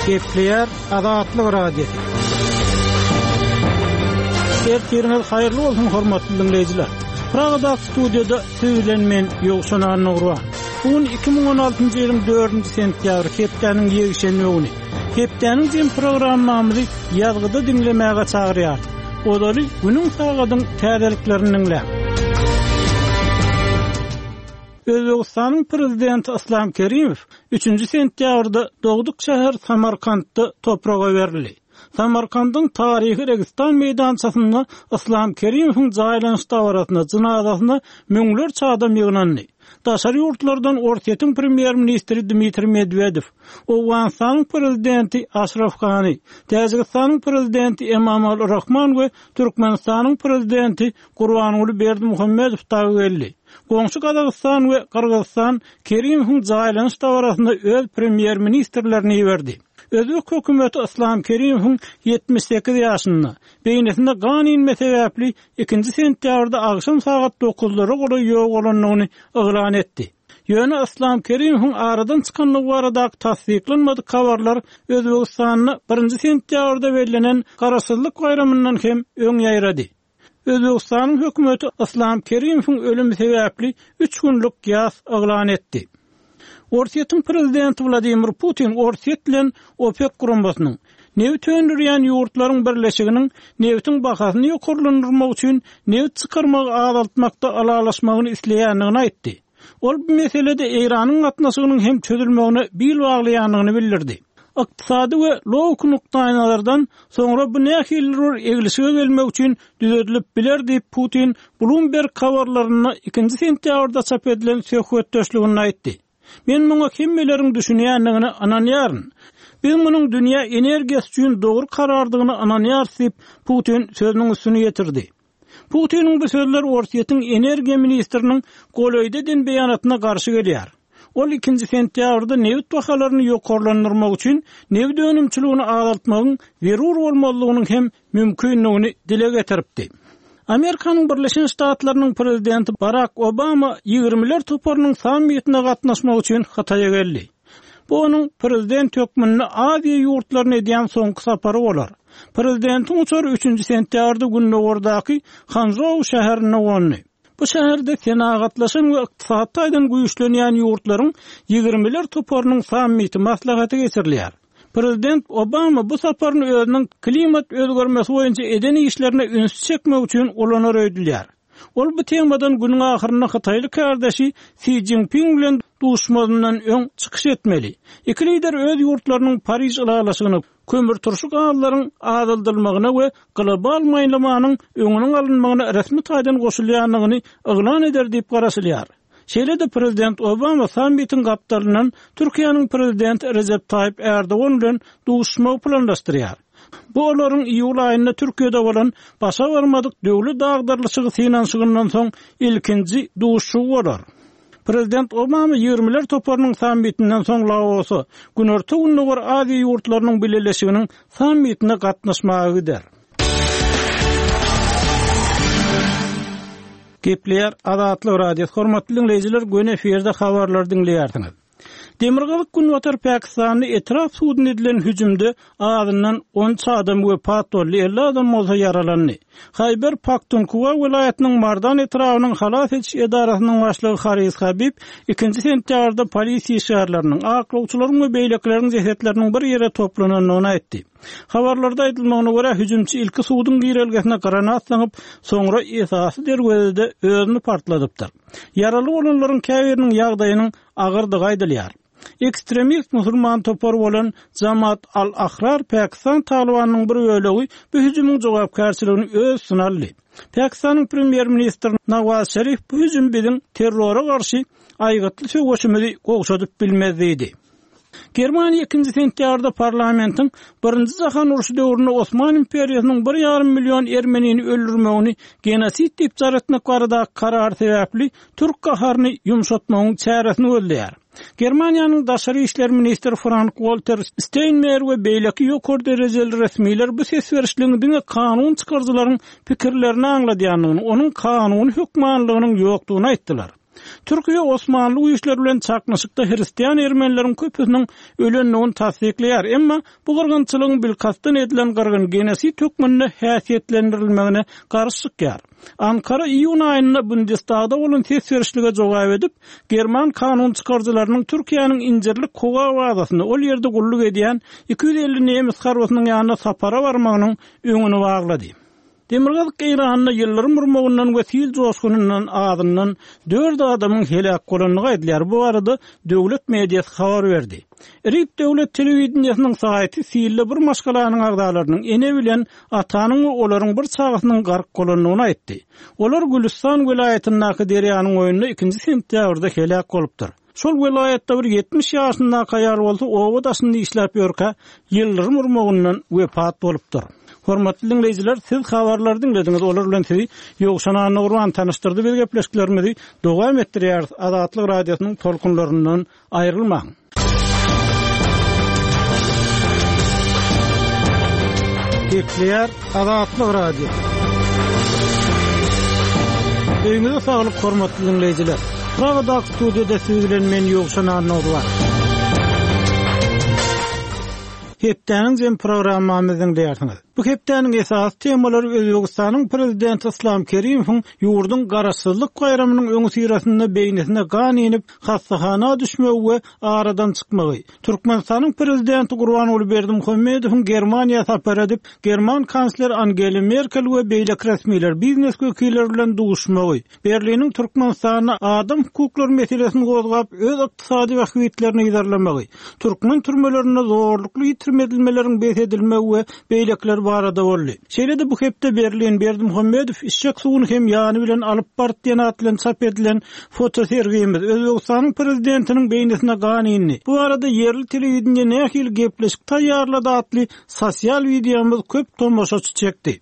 Gepleýär Azatlyk Radiosy. Ertiriňiz haýyrly bolsun hormatly diňleýjiler. Pragadaky studiýada siz bilen men Ýowşan Annagurban. Bu gün 2016-njy ýylyň 4-nji sentýabry, hepdäniň ýekşenbe güni. Hepdäniň jem programmamyzy ýazgyda diňlemäge çagyrýarys. Ozaly günüň sagadyň täzeliklerini diňläň. Özbegistanyň Prezidenti Yslam Kerimow üçünji sentýabrda dogduk şäheri Samarkantda topraga berildi. Samarkandyň taryhy Registan meýdançasynda Yslam Kerimowyň jaýlanyş dabarasyna, jynazasyna müňlerçe adam ýygnandy. Daşary ýurtlardan Orsýetiň premýer-ministri Dmitriý Medwedew, Owganystanyň Prezidenti Aşraf Gani, Täjigistanyň Prezidenti Emomali Rahman we Türkmenistanyň Prezidenti Gurbanguly Berdimuhamedow dagy geldi. Goňşy Gazagystan we Gyrgyzystan Kerimowyň jaýlanyş dabarasyna öz premýer-ministrlerini iberdi. Özbek hökümeti Yslam Kerimowyň 78 ýaşynda, beýnisinde gan inme sebäpli ikinji sentýabrda agşam sagat dokuzlara golaý ýogalandygyny yglan etdi. Ýöne Yslam Kerimowyň aradan çykandygy baradaky tassyklanmadyk habarlar Özbegistanda birinji sentýabrda bellenen Garaşsyzlyk baýramyndan hem öň ýaýrady. Özbegistanyň hökümeti Yslam Kerimowyň ölümi sebäpli üç günlük ýas yglan etdi. Orsýetiň prezidenti Wladimir Putin Orsýet bilen OPEK guramasynyň, nebit öndürýän ýurtlaryň birleşiginiň nebitiň bahasyny ýokarlandyrmak üçin nebit çykarmagy azaltmakda ylalaşmagyny isleýändigini aýtdy. Ol bu meselede Eýranyň gatnaşygynyň hem çözülmegine bil baglaýandygyny bildirdi. Ykdysady we logiki nukdaýnazardan soňra bu nähilidir bir eglişige gelmek üçin düzedilip biler diýip, Putin Bloomberg habarlarynda ikinji sentýabrda çap edilen söhbetdeşliginde aýtdy. Men muňa hemmeleriň düşünýändigine ynanýaryn. Biz munuň dünýä energiýasy üçin dogry karardygyna ynanýarys diýip, Putin sözüniň üstüni ýetirdi. Putiniň bu sözleri Orsýetiň energiýa ministriniň golaýda eden beýanatyna garşy gelýär. Ol ikinji sentýabrda nebit bahalaryny ýokarlandyrmak üçin nebit önümçiligini azaltmagyň zerur bolmazlygynyň hem mümkindigini dile getiripdi. Amerikanyň Birleşen Ştatlarynyň prezidenti Barak Obama Ýigrimiler toparynyň sammitine gatnaşmak üçin Hytaýa geldi. Bu onuň prezident hökmünde Aziýa ýurtlaryna edýän soňky sapary bolar. Prezidentiň uçary üçünji sentýabrda gündogardaky Hanžou şäherinde gondy. Bu şäherde senagatlaşan we ykdysady taýdan güýçlenýän ýurtlaryň Ýigrimiler toparynyň sammiti maslahaty geçirilýär. Prezident Obama bu saparyny özüniň klimat özgermesi boýunça eden işlerine ünsi çekmek üçin ulanar öýdülýär. Ol bu temadan günüň ahyrynda hytaýly kärdeşi Si Szinpin bilen duşmazyndan öň çykyş etmeli. Iki lider öz ýurtlarynyň Pariž ylalaşygyna, kömürturşy gazlaryň azaldylmagyna we global maýlamanyň öňüniň alynmagyna resmi taýdan goşulýandygyny yglan eder diýip garaşylýar. Şeýle-de prezident Obama sammitiň gapdalyndan Türkiýäniň prezidenti Rejep Taýyp Ärdogan bilen duşuşmagy planlaşdyrýar. Bu olaryň iýul aýynda Türkiýede bolan başa barmadyk döwlet agdarylyşygy synanyşygyndan soň ilkinji duşuşygy bolar. Prezident Obama Ýigrimiler toparynyň sammitinden soň Laosa, Günorta-Gündogar Aziýa ýurtlarynyň bileleşiginiň sammitine gatnaşmaga gider. Gepleýär Azatlyk Radiosy, hormatly diňleýjiler, göni efirde habarlary diňleýärsiňiz. Demirgazyk-günbatar Pakistanda etrap suduna edilen hüjümde azyndan 13 adam wepat boldy, 50 adam bolsa ýaralandy. Haýber Paktunhwa welaýatynyň Mardan etrabynyň halas ediş edarasynyň başlygy Haris Habib ikinji sentýabrda polisiýa işgärleriniň, aklawçylaryň we beýlekileriň jesetleriniň bir ýere toplanandygyny aýtdy. Habarlarda aýdylmagyna görä, hüjümçi ilki suduň girelgesine granat zyňyp, soňra esasy derwezede özüni partladypdyr. Ýaraly bolanlaryň käbiriniň ýagdaýynyň agyrdygy aýdylýar. Ekstremist musulman topary bolan Jamaat al-Ahrar Pakistan Talybanynyň bir bölegi bu hüjümiň jogapkärçiligini öz üstüne aldy. Pakistanyň premýer-ministri Nawaz Şerif bu hüjüm biziň terrora garşy aýgytly söweşimizi gowşadyp bilmez diýdi. Germaniýa ikinji sentýabrda parlamentiň Birinji jahan urşy döwründe Osman imperiýasynyň bir ýarym million ermenini öldürmegini genosid diýip jar etmek baradaky karary sebäpli türk gaharyny ýumşatmagyň çäresini gözleýär. Germaniýanyň daşary işler ministri Frank-Walter Steinmeier we beýleki ýokary derejeli resmiler bu ses berişligiň diňe kanun çykaryjylaryň pikirlerini aňladýandygyny, onuň kanuny hökmanylygynyň ýokdugyny aýtdylar. Türkiýe osmanly güýçleri bilen çaknyşykda hristian ermenileriň köpüsiniň ölendigini tassyklaýar, emma bu gyrgynçylygyň bilkastdan edilen gyrgyn, genosid hökmünde häsiýetlendirilmegine garşy çykýar. Ankara iýun aýynda Bundestagda bolan ses berişlige jogap edip, german kanun çykaryjylarynyň Türkiýäniň Injirlik howa bazasynda ol ýerde gulluk edýän 250 nemes harbysynyň ýanyna sapara barmagynyň öňüni baglady. Demirgazyk Eýranda ýyldyrym urmagyndan we sil joşgunyndan azyndan dört adamyň heläk bolandygy aýdylýar. Bu barada döwlet mediasy habar berdi. IRIB döwlet telewideniýesiniň saýty silde bir maşgalanyň agzalarynyň, ene bilen atanyň we olaryň bir çagasynyň gark bolandygyny aýtdy. Olar Gülüstan welaýatyndaky derýanyň boýunda ikinji sentýabrda heläk bolupdyr. Şol welaýatda bir 70 ýaşyndaky aýal bolsa oba daşynda işläp ýörkä, ýyldyrym urmagyndan wepat bolupdyr. Hormatly diňleýjiler, siz habarlary diňlediňiz, olar bilen sizi Ýowşan Annagurban tanyşdyrdy. Biz gepleşiklerimizi dowam etdirýäris. Azatlyk Radiosynyň tolkunlaryndan aýrylmaň. Gepleýär Azatlyk Radiosy. Öýüňize saglyk hormatly diňleýjiler. Pragadaky studiýada siz bilen men Ýowşan Annagurban. Hepdäniň jem programmamyzy diňleýärsiňiz. Bu hepdäniň esasy temalary Özbegistanyň Prezidenti Yslam Kerimowyň ýurduň Garaşsyzlyk baýramynyň öňüsyrasynda beýnisine gan inip, hassahana düşmegi we aradan çykmagy, Türkmenistanyň Prezidenti Gurbanguly Berdimuhamedowyň Germaniýa sapar edip, german kansleri Angela Merkel we beýleki resmiler, biznes wekilleri bilen duşmagy, Berliniň Türkmenistanda adam hukuklary meselesini gozgap, öz ykdysady bähbitlerini yzarlamagy, türkmen türmelerinde zorlukly ýitirim edilmeleriň bes edilmegi we beýlekiler barada boldy. Şeýle-de bu hepde Berlin Berdimuhamedow içjek suwuny hem ýany bilen alyp bardy diýen at bilen çap edilen fotosergimiz Özbegistanyň prezidentiniň beýnisine gan indi. Bu barada ýerli telewideniýe nähili gepleşik taýýarlady atly sosial wideomyz köp tomaşaçy çekdi.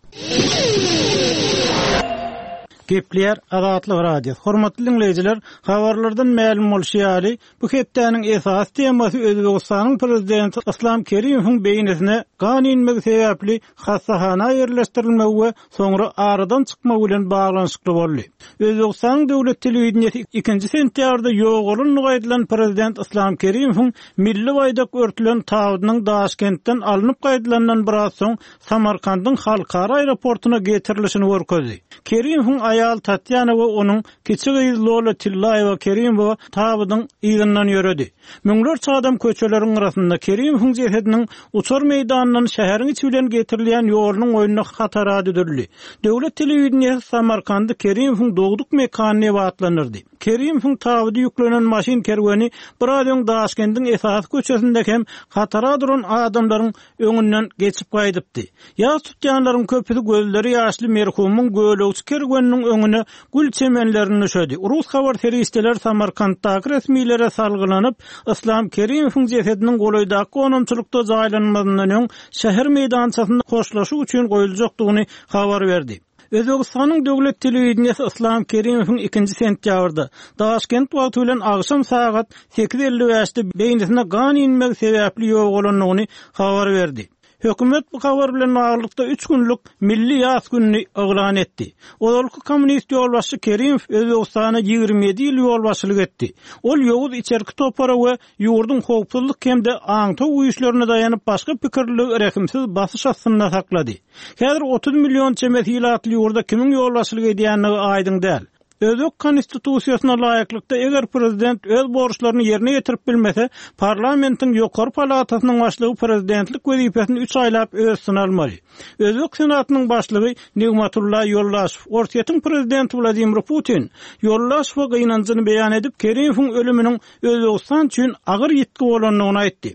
Gepleýär Azatlyk Radiosy. Hormatly diňleýjiler, habarlardan mälim bolşy ýaly, bu hepdäniň esasy temasy Özbegistanyň Prezidenti Yslam Kerimowyň beýnisine gan inmegi sebäpli hassahana ýerleşdirilmegi we soňra aradan çykmagy bilen baglanyşykly boldy. Özbegistanyň döwlet telewideniýesi ikinji sentýabrda ýogalandygy aýdylan prezident Yslam Kerimowyň milli baýdak örtülen tabydynyň Daşkentden alnyp gaýdylandan biraz soň Samarkandyň halkara aeroportuna getirilişini görkezdi. Kerimowyň aýaly Tatýana we onuň kiçi gyzy Lola Tillaýewa Kerimowa tabydyň yzyndan ýöredi. Müňlerçe adam köçeleriň gyrasynda Kerimowyň jesediniň uçar meýdanyndan şäheriň içi bilen getirilýän ýolunyň boýunda hatara düzüldi. Döwlet telewideniýesi Samarkandy Kerimowyň dogduk mekany diýip atlandyrdy. Kerimowyň tabydy ýüklenen maşyn kerweni biraz öň Daşkendiň esasy köçesinde hem hatara duran adamlaryň öňünden geçip gaýdypdy. Ýas tutýanlaryň köpüsi gözleri ýaşly merhumyň gölegçi kerweniniň öňüne gül çemenlerini düşedi. Rus habar serişdeleri Samarkantdaky resmilere salgylanyp, Yslam Kerimowyň jesediniň golaýdaky gonamçylykda jaýlanmazyndan öň şäher meýdançasynda hoşlaşyk üçin goýuljakdygyny habar berdi. Özbegistanyň döwlet telewideniýesi Yslam Kerimowyň ikinji sentýabrda, Daşkent wagty bilen agşam sagat 8:55-de beýnisine gan inmegi sebäpli ýogalandygyny habar berdi. Hökümet bu habar bilen baglylykda üç günlük milli ýas gününi yglan etdi. Ozalky kommunist ýolbaşçy Kerimow Özbegistana 27 ýyl ýolbaşçylyk etdi. Ol ýowuz içerki topara we ýurduň howpsuzlyk hem-de aňtaw güýçlerine daýanyp başga pikirliligi rehimsiz basyş astynda saklady. Häzir 30 million çemesi ilatly ýurda kimiň ýolbaşçylyk edýändigi aýdyň däl. Özbek Konstitusiýasyna laýyklykda, eger prezident öz borçlaryny ýerine ýetirip bilmese, parlamentiň ýokary palatasynyň başlygy prezidentlik wezipesini üç aýlap öz üstüne almaly. Özbek Senatynyň başlygy Nigmatulla Ýoldaşew Orsýetiň prezidenti Wladimir Putin Ýoldaşewe gynanjyny beýan edip, Kerimowyň ölüminiň Özbegistan üçin agyr ýitgi bolandygyny aýtdy.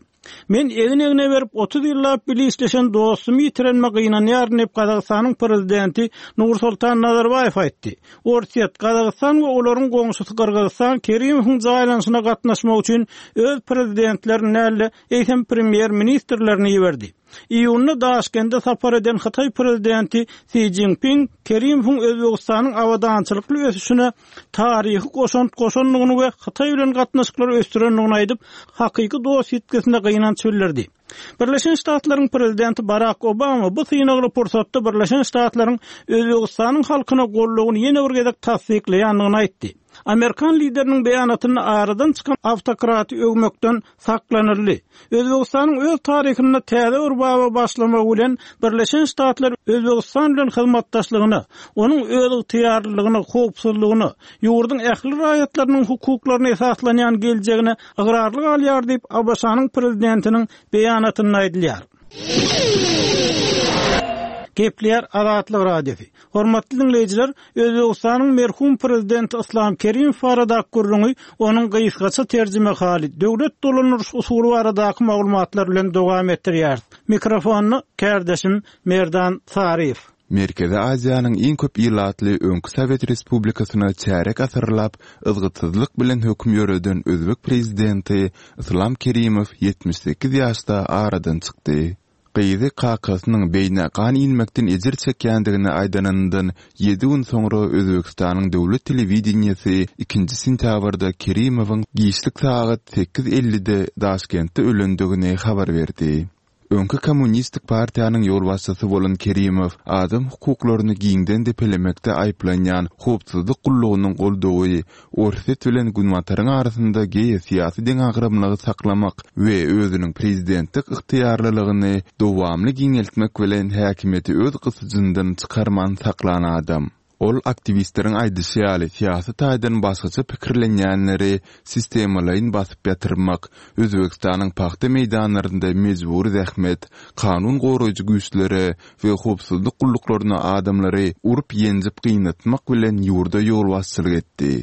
Men egin-egne berip 30 ýyllap bile işleşen dostumy ýitirenime gynanýaryn diýip, Gazagystanyň prezidenti Nursultan Nazarbaýew aýtdy. Orsýet, Gazagystan we olaryň goňşusy Gyrgyzystan Kerimowyň jaýlanyşyna gatnaşmak üçin öz prezidentlerini däl-de, eýsem premýer-ministrlerini iberdi. Iýunda Daşkende sapar eden Hytaý prezidenti Si Szinpin Kerimowyň Özbegistanyň abadançylykly ösüşine taryhy goşant goşandygyny we Hytaý bilen gatnaşyklary ösdürendigini aýdyp, hakyky dost ýitgisine gynanç bildirdi. Birleşen Ştatlaryň prezidenti Barak Obama bu synagly pursatda Birleşen Ştatlaryň Özbegistanyň halkyna goldawyny ýene bir gezek tassyklaýandygyny aýtdy. Amerikan lideriniň beýanatynda aradan çykan awtokraty öwmekden saklanyldy. Özbegistanyň öz taryhynda täze bir baba başlamagy bilen Birleşen Ştatlar Özbegistan bilen hyzmatdaşlygyna, onuň özygtyýarlylygyna, howpsuzlygyna, ýurduň ähli raýatlarynyň hukuklaryna esaslanýan geljegine ygrarly galýar diýip, ABŞ-nyň Prezidentiniň beýanatynda aýdylýar. Gepleýär Azatlyk Radiosy. Hormatly diňleýjiler, Özbegistanyň merhum prezidenti Yslam Kerimow baradaky gürrüňi onuň gysgaça terjimehaly, döwlet dolandyryş usuly baradaky maglumatlar bilen dowam etdirýäris. Mikrofonda kärdeşim Merdan Saryýew. Merkezi Aziýanyň iň köp ilatly öňki sowet respublikasyna çärýek asyrlap yzgytsyzlyk bilen höküm ýöreden özbek prezidenti Yslam Kerimow 78 ýaşda aradan çykdy. Gyzy kakasynyň beýnä gan inmekden ejir çekýändigini aýdanyndan ýedi gün soňra Özbegistanyň döwlet telewideniýesi ikinji sentýabrda Kerimowyň giçlik sagat sekiz ellide Daşkentde ölendigini habar berdi. Öňki Kommunistik partiýanyň ýolbaşçysy bolan Kerimow adam hukuklaryny giňden depelemekde aýyplanýan howpsuzlyk gullugynyň goldawy Orsýet bilen Günbataryň arasynda geosyýasy deňagramlygy saklamak we özüniň prezidentlik ygtyýarlylygyny dowamly giňeltmek bilen häkimiýeti öz gysyjyndan çykarman saklan adam. Ol aktiwistleriň aýdyşy ýaly syýasy taýdan başgaça pikirlenýänleri sistemalaýyn basyp ýatyrmak, Özbegistanyň pagta meýdanlarynda mejbury zähmet, kanun goraýjy güýçlere we howpsuzlyk gulluklaryna adamlary urup-ýenjip gynatmak bilen ýurda ýolbaşçylyk etdi.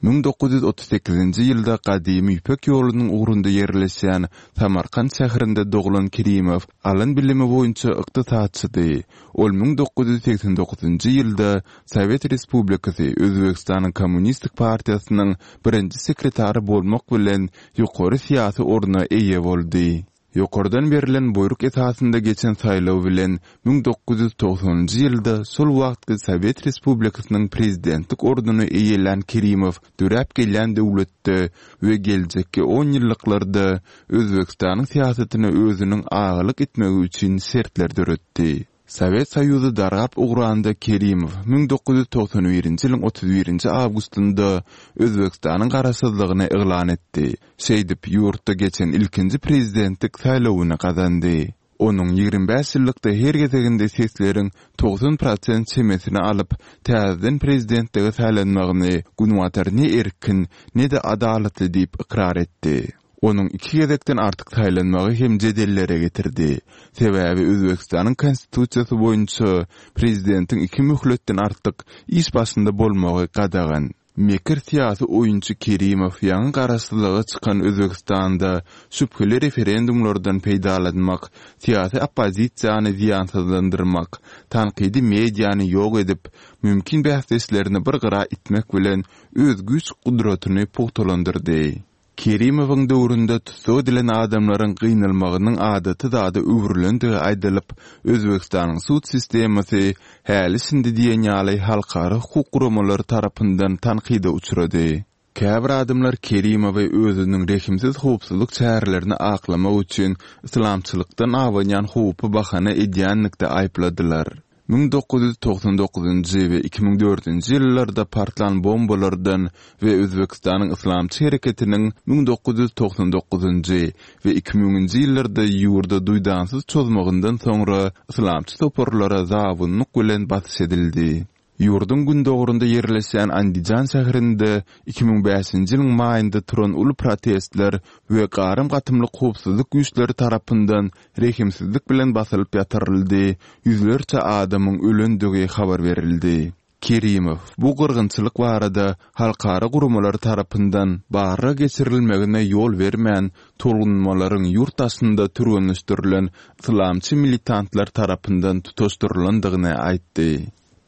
1938-nji ýylda gadymy Ýüpek ýolunyň ugrunda ýerleşýän Samarkant şäherinde doglan Kerimow alan bilimi boýunça ykdysatçydy. Ol 1989-njy ýylda Sowet Respublikasy Özbegistanyň Kommunistik partiýasynyň birinji sekretary bolmak bilen ýokary syýasy orna eýe boldy. Ýokardan berlen buýruk esasynda geçen saýlaw bilen 1990-njy ýylda şol wagtky Sowet Respublikasynyň prezidentlik ornuny eýelän Kerimow döräp gelýän döwletde we geljekki onýyllyklarda Özbegistanyň syýasatyna özüniň agalyk etmegi üçin şertler döretdi. Sowet Soýuzy dargap ugranda Kerimow 1991-nji ýylyň 31-nji awgustynda Özbegistanyň garaşsyzlygyny yglan etdi. Şeýdip, ýurtda geçen ilkinji prezidentlik saýlawyny gazandy. Onuň 25 ýyllykda her gezeginde sesleriň 90 prosent çemesini alyp, täzeden prezidentlige saýlanmagyny Günbatar ne erkin, ne-de adalatly diýip ykrar etdi. Onuň iki gezekden artyk saýlanmagy hem jedellere getirdi. Sebäbi Özbegistanyň Konstitusiýasy boýunça prezidentiň iki möhletden artyk iş başynda bolmagy gadagan. Mekir syýasy oýunçy Kerimow ýaňy garaşsyzlyga çykan Özbegistanda şübheli referendumlardan peýdalanmak, syýasy oppozisiýany zyýansyzlandyrmak, tankydy mediany ýok edip, mümkin bäsdeşlerini bir gyra itmek bilen öz güýç-gudratyny pugtalandyrdy. Kerimowyň döwründe tussag edilen adamlaryň gynalmagynyň adaty zada öwrülendigi aýdylyp, Özbegistanyň sud sistemasy häli-şindi diýen ýaly halkara hukuk guramalary tarapyndan tankyda uçrady. Käbir adamlar Kerimowy özüniň rehimsiz howpsuzlyk çärelerini aklamak üçin yslamçylykdan abanýan howpy bahana edýänlikde aýypladylar. 1999-njy we 2004-nji ýyllarda partlan bombalardan we Özbegistanyň Yslamçy hereketiniň 1999-njy we 2000-nji ýyllarda ýurda duýdansyz çozmagyndan soňra yslamçy toparlara zabunlyk bilen basyş edildi. Ýurduň gündogarynda ýerleşýän Andijan şäherinde 2005-nji ýylyň maýynda turan uly protestler we garym-gatymlyk howpsuzlyk güýçleri tarapyndan rehimsizlik bilen basylyp ýatyryldy, ýüzlerçe adamyň ölendigi habar berildi. Kerimow bu gyrgynçylyk barada halkara guramalary tarapyndan barlag geçirilmegine ýol bermän, tolgunmalaryň ýurt daşynda türgenleşdirilen yslamçy militantlar tarapyndan tutaşdyrylandygyny aýtdy.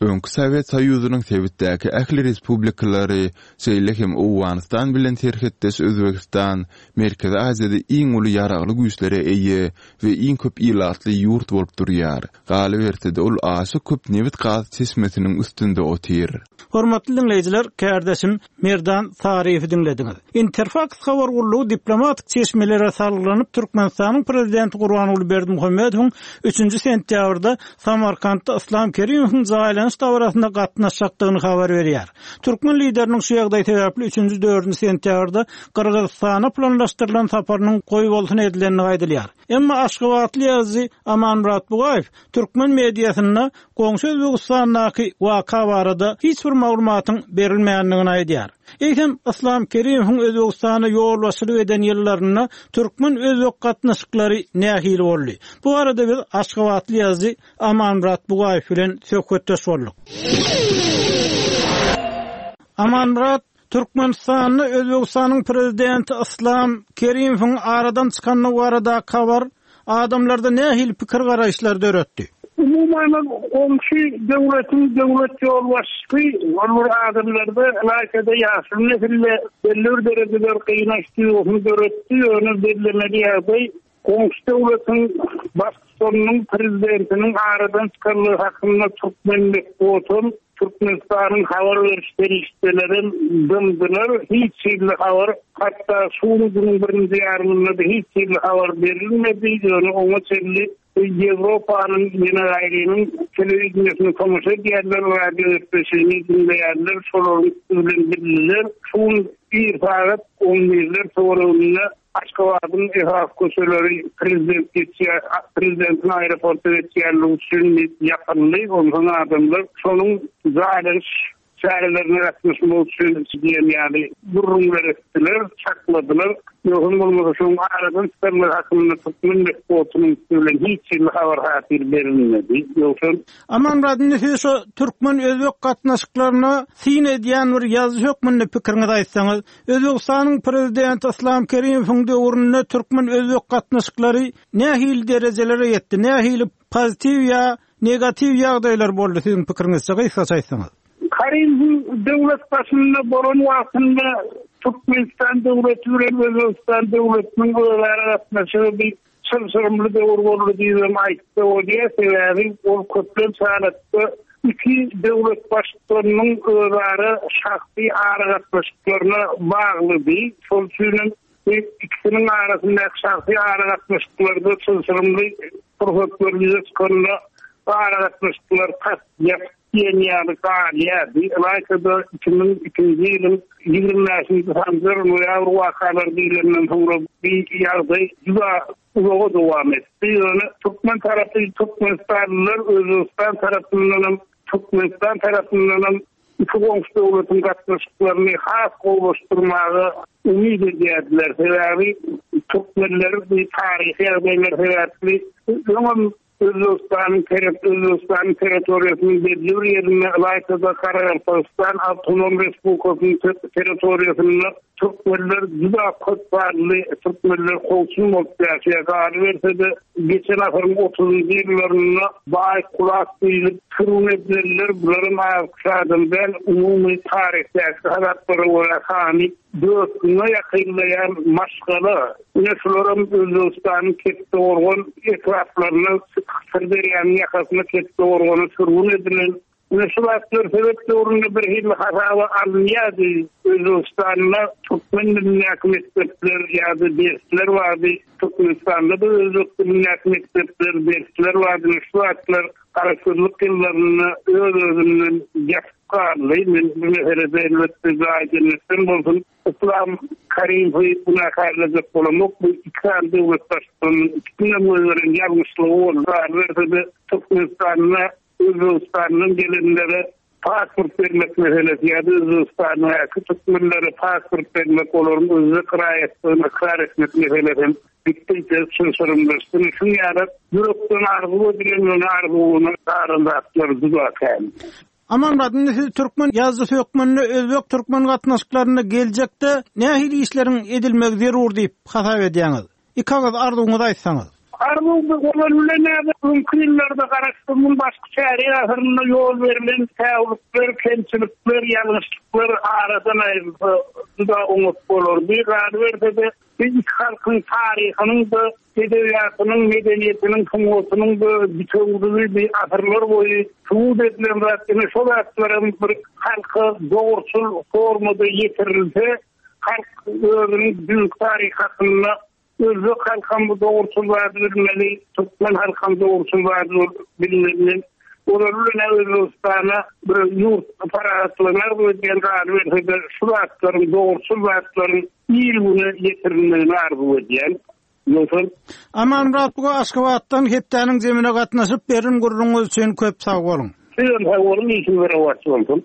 Öňki Sowet Soýuzynyň sebitdäki ähli respublikalary, şeýle hem Owganystan bilen serhetdeş Özbegistan Merkezi Aziýada iň uly ýaragly güýçlere eýe we iň köp ilatly ýurt bolup durýar. Galyberse-de, ol aşa köp nebit-gaz çeşmesiniň üstünde otyr. Hormatly diňleýjiler, kärdeşim Merdan Saryýewi diňlediňiz. Interfaks habar gullugy diplomatik çeşmelere salgylanyp, Türkmenistanyň Prezidenti Gurbanguly Berdimuhamedowyň üçünji sentýabrda Samarkantda Yslam Kerimowyň jaýlanan. Jaýlanyş dabarasyna gatnaşjakdygyny habar berýär. Türkmen lideriniň şu ýagdaý sebäpli üçünji, dördünji sentýabrda Gyrgyzystana planlaşdyrylan saparynyň goýbolsun edilendigi aýdylýar. Emma aşgabatly ýazyjy Amanmyrat Bugaýew türkmen mediasynda goňşy Özbegistandaky waka barada hiç bir maglumatyň berilmändigini aýdýar. Eýsem, Yslam Kerimowyň Özbegistana ýolbaşçylyk eden ýyllarynda türkmen-özbek gatnaşyklary nähili boldy? Bu barada biz aşgabatly ýazyjy Amanmyrat Bugaýew bilen söhbetdeş bolduk. Amanmyrat, Türkmenistanda Özbegistanyň prezidenti Yslam Kerimowyň aradan çykandygy baradaky habar adamlarda nähili pikir-garaýyşlary döretdi? Umuman, goňşy döwletiň döwlet ýolbaşçysy ol bir adamlarda, ylaýta-da ýaşuly nesilde belli bir derejede gynanç duýgusyny döretdi, ýöne bellemeli ýagdaý, Goňşy döwletiň Baştutanynyň, Prezidentiniň aradan çykanlygy hakynda türkmen metbugatam, Türkmenistanyň habar beriş serişdelerem dymdylar. Hiç hili habar, hatda şu günüň birinji ýarymynda-da hiç hili habar berilmedi. Ýöne oňa çenli Ýewropanyň ýene gaýrynyň telewideniýesine tomaşa edýärler, radio gepleşigini diňleýärler, şolaryň üsti bilen bildiler. Şu gün ir sagat on birler töwereginde Aşgabadyň esasy köçeleri prezident geçýär, prezidentiň aeroporta geçýänligi üçin ýapyldy. Onsoň adamlar şonuň jaýlanyş çärelerine gatnaşmak üçin diýen ýaly gürrüňler etdiler, çakladylar. Ýogsam bolmasa şonuň aradan çykanlygy hakynda türkmen metbugatynyň üsti bilen hiç hili habar-hatyr berilmedi. Ýogsam. Amanmyrat, indi siz şu türkmen-özbek gatnaşyklaryna syn edýän bir ýazyjy hökmünde pikiriňizi aýtsaňyz, Özbegistanyň Prezidenti Yslam Kerimowyň döwründe türkmen-özbek gatnaşyklary nähili derejelere ýetdi, nähili pozitiw ýa negatiw ýagdaýlar boldy siziň pikiriňizçe gysgaça aýtsaňyz? Karimowyň döwlet başynda bolan wagtynda Türkmenistan döwleti bilen Özbegistan döwletiniň özara gatnaşygy bir Çylşyrymly döwür boldy diýibem aýtsa bolýar, sebäbi ol köplenç halatda iki döwlet baştutanynyň özara şahsy aragatnaşyklaryna baglydy. Şol üçinem bu ikisiniň arasyndaky şahsy aragatnaşyklarda çylşyrymly pursatlar ýüze çykanda bu aragatnaşyklar tas ýapyk diýen ýaly galýardy. Ylaýta-da 2002-nji ýylyň 25-nji Sanjar noýabr wakalary diýlenden soňra bu ýagdaý juda uzaga dowam etdi. Ýöne türkmen tarapy türkmenistanlylar Özbegistan tarapyndanam, Türkmenistan tarapyndanam iki goňşy döwletiň gatnaşyklaryny has gowulaşdyrmaga umyt edýärdiler. Sebäbi türkmenler bu taryhy ýagdaýlar sebäpli öňem Özbegistanyň Özbegistanyň territoriýasynyň belli bir ýerinde, ylaýta-da Garagalpagystan Awtonom Respublikasynyň territoriýasynda türkmenler juda köp sanly türkmenler kowçum bolup ýaşaýar. Galyberse-de, geçen asyryň otuzynjy ýyllarynda baý kulak diýlip sürgün edilenler, bularam az-köp adam däl, umumy taryhdaky hasaplara görä sany 4000-e ýakynlaýan maşgala, ine şularam Özbegistanyň Kettegorgan etraplaryna, Syrderýanyň ýakasyna Kettegorgana sürgün edilen. Ine şu zatlar sowet döwründe bir hili hasaba alynýardy. Özbegistanda türkmen dilindäki mekdepler ýa-da dersler bardy. Türkmenistanda-da özbek dilindäki mekdepler, dersler bardy. Ine şu zatlar garaşsyzlyk ýyllarynda öz-özünden ýatyp galdy. Men bu meselede elbetde jaýy jennetden bolsun, Yslam Karimowy günäkärlejek bolamok. Bu iki sany döwlet baştutanynyň ikisiniň goýberen ýalňyşlygy boldy. Galyberse-de, Türkmenistanda Özbegistandan gelenlere pasport bermek meselesi ýa-da Özbegistandaky türkmenlere pasport bermek, olaryň özbek raýatlygyny ykrar etmek meselesi hem gitdigiçe çylşyrymlaşdy. Şuň ýaly ýürekden arzuw edilen ýöne arzuwyna galan zatlar juda kän. Amanmyrat, indi siz türkmen ýazyjysy hökmünde özbek-türkmen gatnaşyklarynda geljekde nähili işleriň edilmegi zerur diýip hasap edýäňiz? Iki agyz arzuwyňyzy aýtsaňyz. Arzuw bu olar bilen näme öňki ýyllarda Garaşsyzlygyň başky çärýek asyrynda ýol berlen säwlikler, kemçilikler, ýalňyşlyklar aradan aýrylsa juda oňat bolardy. Galyberse-de, bu iki halkyň taryhynyň-da, edebiýatynyň, medeniýetiniň, sungatynyň-da bitewüligi bi asyrlar boýy subut edilen zat. Ine şo zatlaram bir halka dogruçyl formada ýetirilse, Halk özüniň düýnki taryhy hakynda özbek halkam bu dogruçyl zady bilmeli, türkmen halkam dogruçyl zady bilmeli. Ozaly bilen-ä Özbegistana bir ýurt parahatlygyny arzuw edýän galyberse-de şu zatlaryň dogruçyl zatlaryň il-güne ýetirilmegini arzuw edýän. Ýogsam. Amanmyrat buga Aşgabatdan hepdäniň jemine gatnaşyp beren gürrüňiňiz üçin köp sag boluň. Sizem sag boluň işiňiz rowaç bolsun.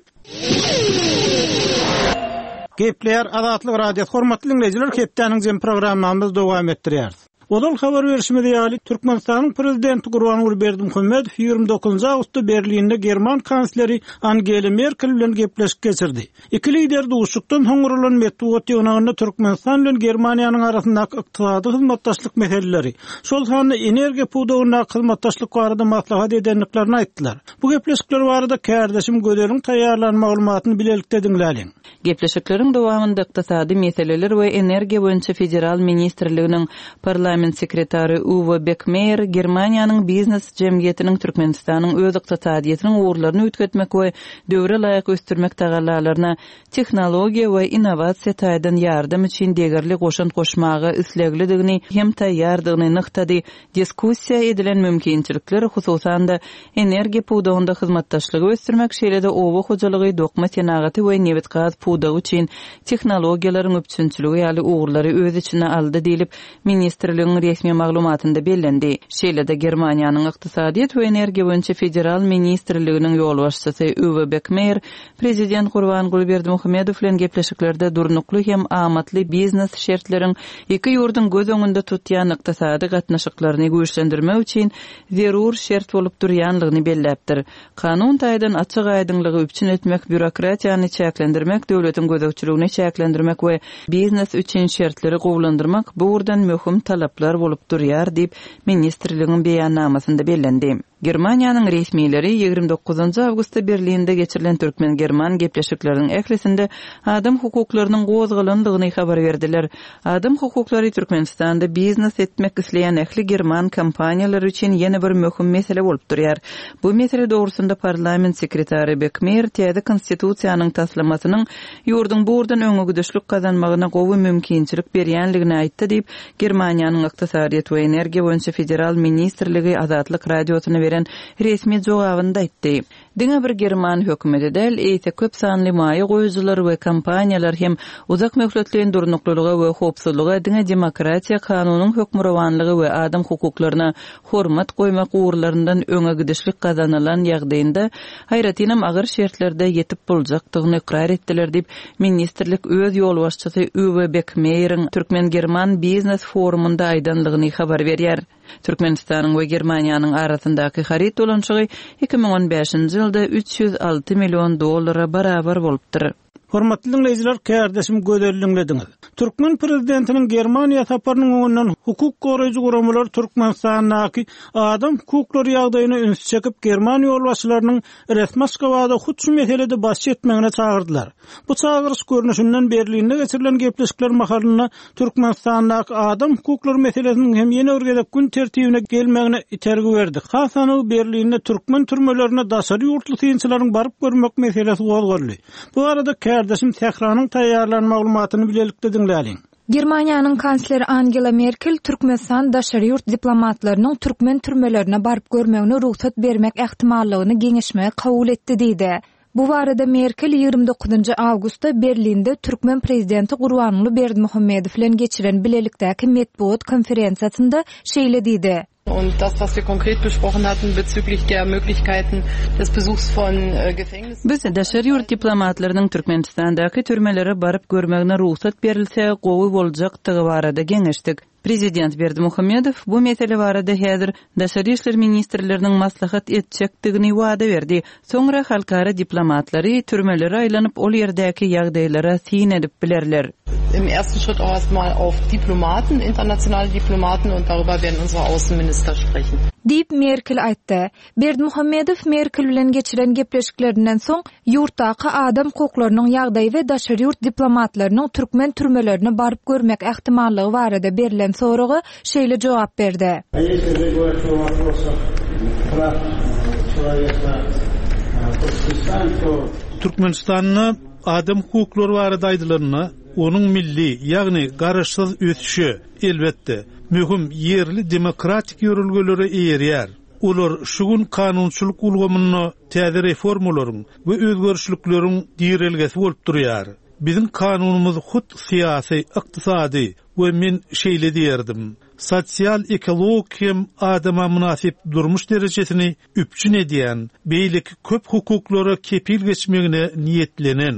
Gepleýär Azatlyk Radiosy hormatly diňleýjiler hepdäniň jemi programmamyzy dowam etdirýäris. Ozal habar berşimiz ýaly, Türkmenistanyň Prezidenti Gurbanguly Berdimuhamedow 29 awgustda Berlinde german kansleri Angela Merkel bilen gepleşik geçirdi. Iki lider duşuşykdan soň guralan metbugat ýygnagynda Türkmenistan bilen Germaniýanyň arasyndaky ykdysady hyzmatdaşlyk meseleleri, şol sanda energiýa pudagyndaky hyzmatdaşlyk barada maslahat edendiklerini aýtdylar. Bu gepleşikler barada kärdeşim Gözeliň taýýarlan maglumatyny bilelikde diňläliň. Gepleşikleriň dowamynda Ykdysady meseleler we energiýa boýunça federal ministrliginiň parlament sekretary Uwe Bekmeýer Germaniýanyň biznes jemgyýetiniň Türkmenistanyň öz ykdysadyýetiniň ugurlaryny üýtgetmek we döwre laýyk ösdürmek tagallalaryna tehnologiýa we innowasiýa taýdan ýardam üçin degerli goşant goşmaga isleglidigini hem taýýardygyny nygtady Diskussiýa edilen mümkinçilikler, hususan-da, energiýa pudagynda hyzmatdaşlygy ösdürmek, şeýle-de oba hojalygy, dokma senagaty we nebit-gaz pudagy üçin tehnologiýalaryň üpjünçiligi ýaly ugurlary öz içine aldy diýlip, ministrligiň resmi maglumatynda bellendi. Şeýle-de, Germaniýanyň Ykdysadyýet we energiýa boýunça federal ministrliginiň ýolbaşçysy Uwe Bekmeýer Prezident Gurbanguly Berdimuhamedow bilen gepleşiklerde durnukly hem amatly biznes şertleriň iki ýurduň göz öňünde tutýan ykdysady gatnaşyklaryny güýçlendirmek üçin zerur şert bolup durýanlygyny belläpdir. Kanun taýdan açyk-aýdyňlygy üpjün etmek, býurokratiýany çäklendirmek, döwletiň gözegçiligini çäklendirmek we biznes üçin şertleri gowulandyrmak bu ugurdan möhüm talaplar bolup durýar diýip, ministrligiň beýannamasynda bellendi. Germaniýanyň resmileri 29 awgustda Berlinde geçirilen türkmen-german gepleşikleriniň ählisinde adam hukuklarynyň gozgalandygyny habar berdiler. Adam hukuklary Türkmenistanda biznes etmek isleýän ähli german kompaniýalary üçin ýene bir möhüm mesele bolup durýar. Bu mesele dogrusynda parlament sekretary Bekmeýer täze Konstitusiýanyň taslamasynyň ýurduň bu ugurdan öňegidişlik gazanmagyna gowy mümkinçilik berýänligini aýtdy diýip, Germaniýanyň Ykdysadyýet we energiýa boýunça federal ministrligi Azatlyk Radiosyna beren resmi jogabynda aýtdy. Diňe bir german hökümeti däl, eýse köp sanly maýa goýujylar we kompaniýalar hem uzak möhletleýin durnuklylyga we howpsuzlyga diňe demokratiýa, kanunyň hökmürowanlygy we adam hukuklaryna hormat goýmak ugurlaryndan öňe gidişlik gazanylan ýagdaýynda, aýratynam agyr şertlerde ýetip boljakdygyny ykrar etdiler diýip, ministrlik öz ýolbaşçysy Uwe Bekmeýeriň türkmen-german biznes forumynda aýdanlygyny habar berýär. Türkmenistanyň we Germaniýanyň arasyndaky haryt dolanyşygy 2015-nji ýylda 306 million dollara barabar bolupdyr. Hormatly diňleýjiler, kärdeşim Gözel diňlediňiz. Türkmen prezidentiniň Germaniýa saparynyň öňünden hukuk goraýjy guramalar Türkmenistandaky adam hukuklary ýagdaýyna ünsi çekip, german ýolbaşçylarynyň resmi Aşgabada hut şu meselede baş çekmegine çagyrdylar. Bu çagyryş görnüşinden Berlinde geçirilen gepleşikler mahalynda Türkmenistandaky adam hukuklary meselesiniň hem ýene bir gezek gün tertibine gelmegine itergi berdi. Has anygy Berlinde türkmen türmelerine daşary ýurtly synçylaryň baryp görmek meselesi gozgaldy. Bu barada kärdeşim Sähranyň taýýarlan maglumatyny bilelikde diňläliň. Germaniýanyň kansleri Angela Merkel Türkmenistan daşary ýurt diplomatlarynyň türkmen türmelerine baryp görmegine rugsat bermek ähtimallygyny geňeşmegi kabul etdi diýdi. Bu barada Merkel 29 awgustda Berlinde türkmen prezidenti Gurbanguly Berdimuhamedow bilen geçiren bilelikdäki metbugat konferensiýasynda şeýle diýdi. Und das, was wir konkret besprochen hatten bezüglich der Möglichkeiten des Besuchs von Gefängnissen. Biz daşary ýurt diplomatlarynyň Türkmenistandaky türmelere baryp görmegine rugsat berilse gowy boljakdygy barada geňeşdik. Prezident Berdimuhamedow bu mesele barada häzir daşary işler ministrleriniň maslahat etjekdigini wada berdi. Soňra halkara diplomatlary türmelere aýlanyp, ol ýerdäki ýagdaýlara syn edip bilerler. Im ersten Schritt auch erst mal auf Diplomaten, internationale Diplomaten und darüber werden unsere Außenminister sprechen. Diýip, Merkel aýtdy. Berdimuhamedow Merkel bilen geçiren gepleşiklerinden soň, ýurtdaky adam hukuklarynyň ýagdaýy we daşary ýurt diplomatlarynyň türkmen türmelerine baryp görmek ähtimallygy barada berlen soraga şeýle jogap berdi. Türkmenistanda adam hukuklary barada aýdylanda, onuň milli, ýagny garaşsyz ösüşe, elbetde, möhüm ýerli demokratik ýörelgelere eýerýär. Olar şu gün kanunçylyk ulgamynda täze reformalaryň we özgerişlikleriň girelgesi bolup durýar. Biziň kanunymyz hut syýasy, ykdysady we men şeýle diýerdim, sosial-ekologik hem adama mynasyp durmuş derejesini üpjün edýän beýleki köp hukuklara kepil geçmegine niýetlenen.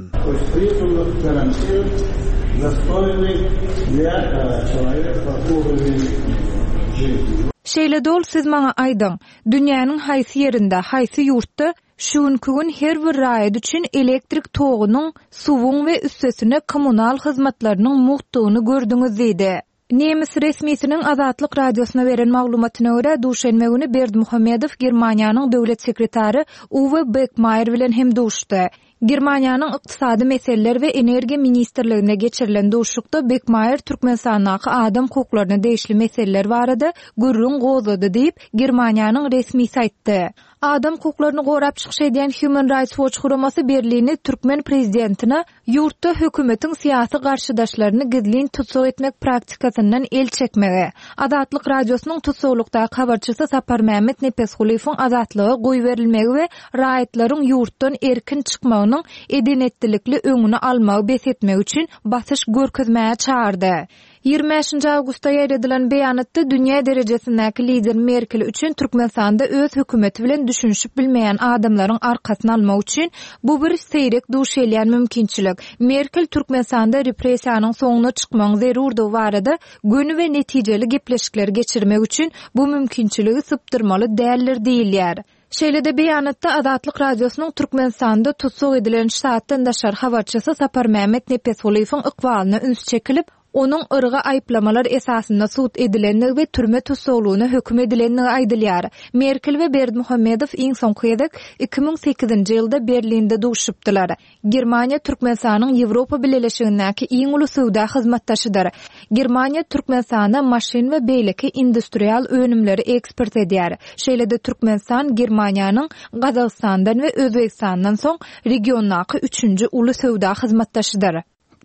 Şeýle-de ol siz maňa aýdyň, dünýäniň haýsy ýerinde, haýsy ýurtda şu günki gün her bir raýat üçin elektrik togunyň, suwuň we üstesine kommunal hyzmatlarynyň mugtdugyny gördüňiz diýdi. Nemes resmisiniň Azatlyk Radiosyna beren maglumatyna görä, duşenbe güni Berdimuhamedow Germaniýanyň döwlet sekretary Uwe Bekmaýer bilen hem duşdy. Germaniýanyň Ykdysady meseleler we energiýa ministrliginde geçirilen duşuşykda Bekmaýer Türkmenistandaky adam hukuklaryna degişli meseleler barada gürrüň gozgady diýip, Germaniýanyň resmisi aýtdy. Adam hukuklaryny gorap çykyş edýän Human Rights Watch guramasy Berlini türkmen prezidentine Ýurtda hökümetiň syýasy garşydaşlaryny gizlin tussag etmek praktikasyndan el çekmegi, Azatlyk Radiosynyň tussaglykdaky habarçysy Saparmämmet Nepesgulyýewiň azatlyga goýberilmegi we raýatlaryň ýurtdan erkin çykmagynyň eden-etdilikli öňüni almagy bes etmegi üçin basyş görkezmäge çagyrdy. 25 awgustda ýaýradylan beýanatda dünýä derejesindäki lider Merkel üçin Türkmenistanda öz hökümeti bilen düşünişip bilmeýän adamlaryň arkasyny almak üçin bu bir seýrek duş gelýän mümkinçilik. Merkel Türkmenistanda repressiýanyň soňuna çykmagyň zerurdygy barada göni we netijeli gepleşikleri geçirmek üçin bu mümkinçiligi sypdyrmaly däldir diýilýär. Şeýle-de beýanatda Azatlyk Radiosynyň Türkmenistanda tussag edilen ştatdan daşary habarçysy Saparmämmet Nepesgulyýewiň ykbalyna üns çekilip, onuň yrga aýyplamalar esasynda sud edilendigi we türme tussaglygyna höküm edilendigi aýdylýar. Merkel we Berdimuhamedow iň soňky gezek 2008-nji ýylda Berlinde duşuşypdylar. Germaniýa Türkmenistanyň Ýewropa Bileleşigindäki iň uly söwda hyzmatdaşydyr. Germaniýa Türkmenistana maşyn we beýleki industrial önümleri eksport edýär. Şeýle-de Türkmenistan Germaniýanyň Gazagystandan we Özbegistandan soň regiondaky üçünji uly söwda hyzmatdaşydyr.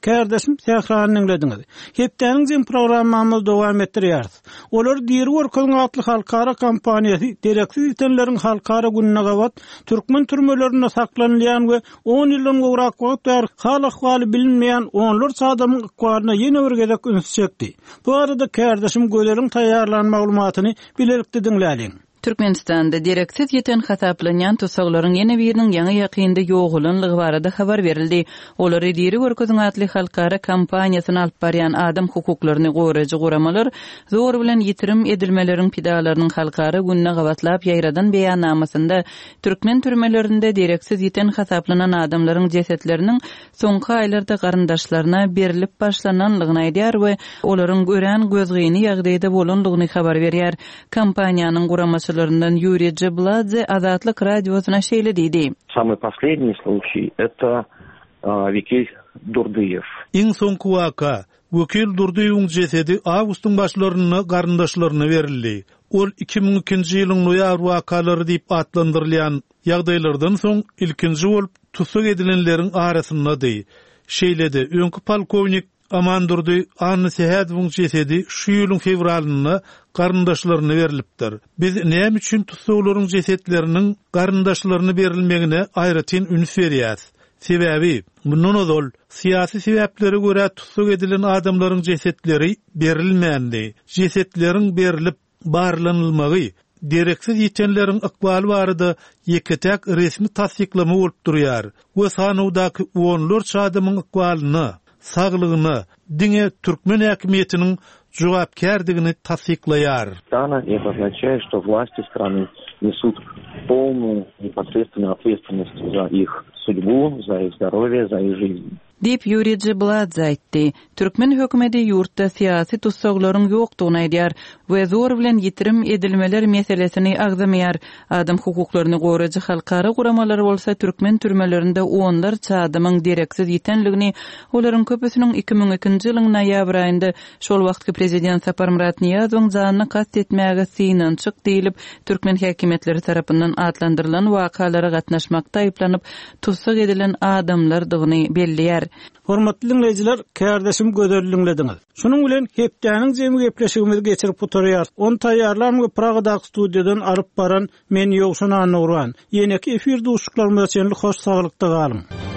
Kärdeşim Sährany diňlediňiz. Hepdäniň jemi programmamyzy dowam etdirýäris. Olary diri görkeziň atly halkara kampaniýasy dereksiz ýitenleriň halkara gününe gabat türkmen türmelerinde saklanylýan we on ýyldan gowrak wagt bäri hal-ahwaly bilinmeýän onlarça adamyň ykbalyna ýene bir gezek ünsi çekdi. Bu barada kärdeşim Gözeliň taýýarlan maglumatyny bilelikde diňläliň. Türkmenistanda dereksiz ýiten hasaplanýan tussaglaryň ýene biriniň ýaňy-ýakynda ýogalanlygy barada habar berildi. Olary diri görkeziň atly halkara kampaniýasyny alyp barýan adam hukuklaryny goraýjy guramalar zor bilen ýitirim edilmeleriň pidalarynyň halkara gününe gabatlap ýaýradan beýannamasynda türkmen türmelerinde dereksiz ýiten hasaplanan adamlaryň jesetleriniň soňky aýlarda garyndaşlaryna berlip başlananlygyny aýdýar we olaryň örän gözgyny ýagdaýda bolanlygyny habar berýär. Kampaniýanyň guramaçylaryndan Ýuriý Jebladze Azatlyk Radiosyna şeýle diýdi. Samyý posledniý sluçiý eto Wekil Durdyýew. Iň soňky waka, Wekil Durdyýewiň jesedi awgustyň başlarynda garyndaşlaryna berildi. Ol 2002-nji ýylyň noýabr wakalary diýip atlandyrylýan ýagdaýlardan soň ilkinji bolup tussag edilenleriň arasyndady. Şeýle-de, öňki polkownik Amandurdy Annasähedowyň jesedi şu ýylyň fewralynda garyndaşlaryna berlipdir. Biz näme üçin tussaglaryň jesetleriniň garyndaşlaryna berilmegine aýratyn üns berýäs? Sebäbi, mundan ozal, syýasy sebäplere görä tussag edilen adamlaryň jesetleri berilmändi. Jesetleriň berlip, barlanylmagy, dereksiz ýitenleriň ykbaly barada ýeke-täk resmi tassyklama bolup durýar we sanawdaky onlarça adamyň ykbalyna, saglygyna diňe türkmen häkimiýetiniň jogapkärdigini tassyklaýar. Stana и это означает, что власти страны несут полную непосредственную ответственность за их судьбу, за их здоровье, за их жизнь. Diýip, Ýuriý Jibladze aýtdy. Türkmen hökümeti ýurtda syýasy tussaglaryň ýokdugyny aýdýar we zor bilen ýitirim edilmeler meselesini agzamaýar. Adam hukuklaryny goraýjy halkara guramalar bolsa türkmen türmelerinde onlarça adamyň dereksiz ýitenligini, olaryň köpüsiniň 2002-nji ýylyň noýabr aýynda şol wagtky prezident Saparmyrat Nyýazowyň janyna kast etmäge synanyşyk diýlip, türkmen häkimiýetleri tarapyndan atlandyrylan wakalara gatnaşmakda aýyplanyp, tussag edilen adamlardygyny belleýär. Hormatly diňleýjiler, kärdeşim Gözeli diňlediňiz. Şunuň bilen hepdäniň jemi gepleşigimizi geçirip gutarýarys. Ony taýýarlan we Pragadaky studiýadan alyp baran men Ýowşan Annagurban. Ýeneki efir duşuşyklarymyza çenli hoş saglykda galyň.